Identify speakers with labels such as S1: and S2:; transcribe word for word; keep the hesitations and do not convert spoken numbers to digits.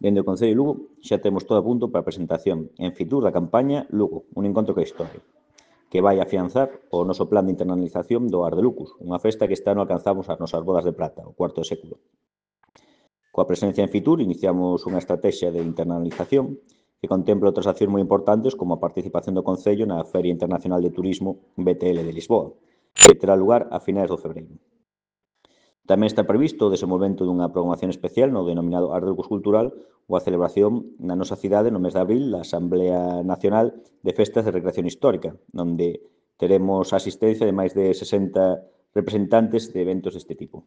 S1: Dende o Concello de Lugo xa temos todo a punto para a presentación en Fitur da campaña Lugo, un encontro coa historia, que vai afianzar o noso plan de internalización do Ar de Lucus, unha festa que este ano alcanzamos as nosas bodas de prata, o cuarto de século. Coa presencia en Fitur iniciamos unha estrategia de internalización que contempla outras accións moi importantes como a participación do Concello na Feria Internacional de Turismo B T L de Lisboa, que terá lugar a finais do febreiro. Tamén está previsto o desenvolvemento dunha programación especial no denominado Ar de Lucus Cultural ou a celebración na nosa cidade no mes de abril da Asamblea Nacional de Festas de Recreación Histórica, onde teremos a asistencia de máis de sesenta representantes de eventos deste tipo.